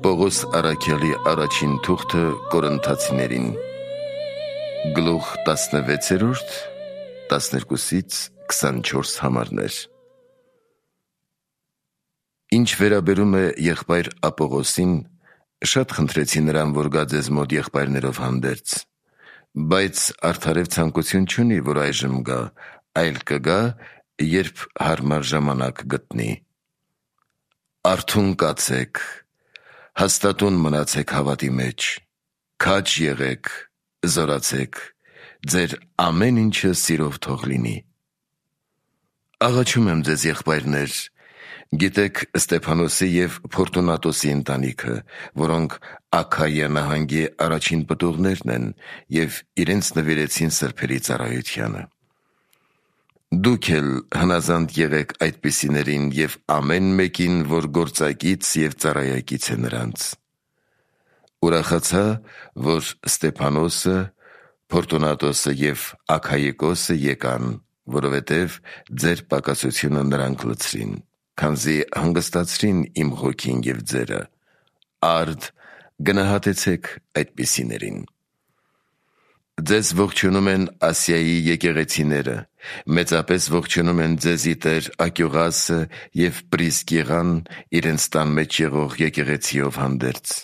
Պողոս առաքյալի առաջին թուղթը Կորինթացիներին, գլուխ 16, 12-24 համարներ։ Ինչ վերաբերում է եղբայր Ապողոսին, շատ խնդրեցի նրան, որ գա ձեզ մոտ եղբայրներով հանդերձ, բայց արդարև ցանկություն չունի, որ այժմ գա, այլ կգա, երբ հարմար ժամանակ գտնի։ Արթուն կացեք, հաստատուն մնացեք հավատի մեջ, քաջ եղեք, զորացեք, ձեր ամեն ինչը սիրով թող լինի։ Աղաչում եմ ձեզ, եղբայրներ, գիտեք Ստեփանոսի և Փորտունատոսի ընտանիքը, որոնք Աքայիա նահանգի առաջին պտուղներն են և իրենց նվիրեցին սրբերի ծառայությանը։ Դուք էլ հնազանդ եղեք այդպիսիներին և ամեն մեկին, որ գործակից և ծառայակից է նրանց։ Ուրախացա, որ Ստեփանոսը, Փորտունատոսը և Աքայիկոսը եկան, որովհետև ձեր պակասությունը նրանք լցրին, քանզի հանգստացրին իմ հոգին և ձերը։ Արդ գնահատեցեք այդպիսիներին։ Ձեզ ողջունում են Ասիայի եկեղեցիները, մեծապես ողջունում են ձեզի տեր Ակյուղասը և Պրիսկիղան իրենց տան մեջ եղող եկեղեցիով հանդերձ։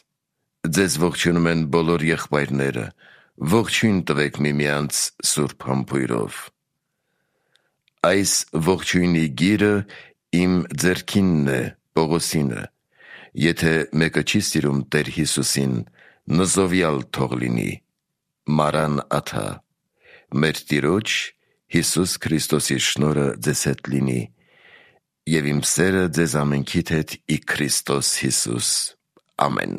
Ձեզ ողջունում են բոլոր եղբայրները, ողջույն տվեք միմյանց սուրբ համբույրով։ Այս ողջույնի գիրը իմ ձեռքինն է, Պողոսինը, եթե մեկը չի սիրում Տեր Հիսուսին, նզովյալ թող լինի։ Մարան աթա։ Մեր Տիրոջ Հիսուս Քրիստոսի շնորհը ձեզ հետ լինի, և իմ սերը ձեզ ամենքիդ հետ ի Քրիստոս Հիսուս։ Ամեն։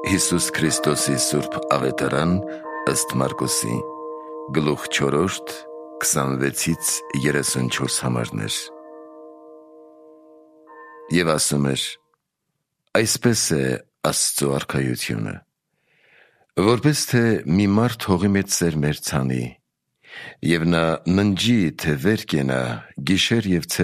Հիսուս Քրիստոսի սուրբ ավետարան ըստ Մարկոսի, գլուխ 4, 26-34 համարներ։ Եվ ասում էր. այսպես է Աստծո արքայությունը, որպես թե մի մարդ հողի մեջ սերմեր ցանի, և նա ննջի, թե վեր կենա, գիշեր և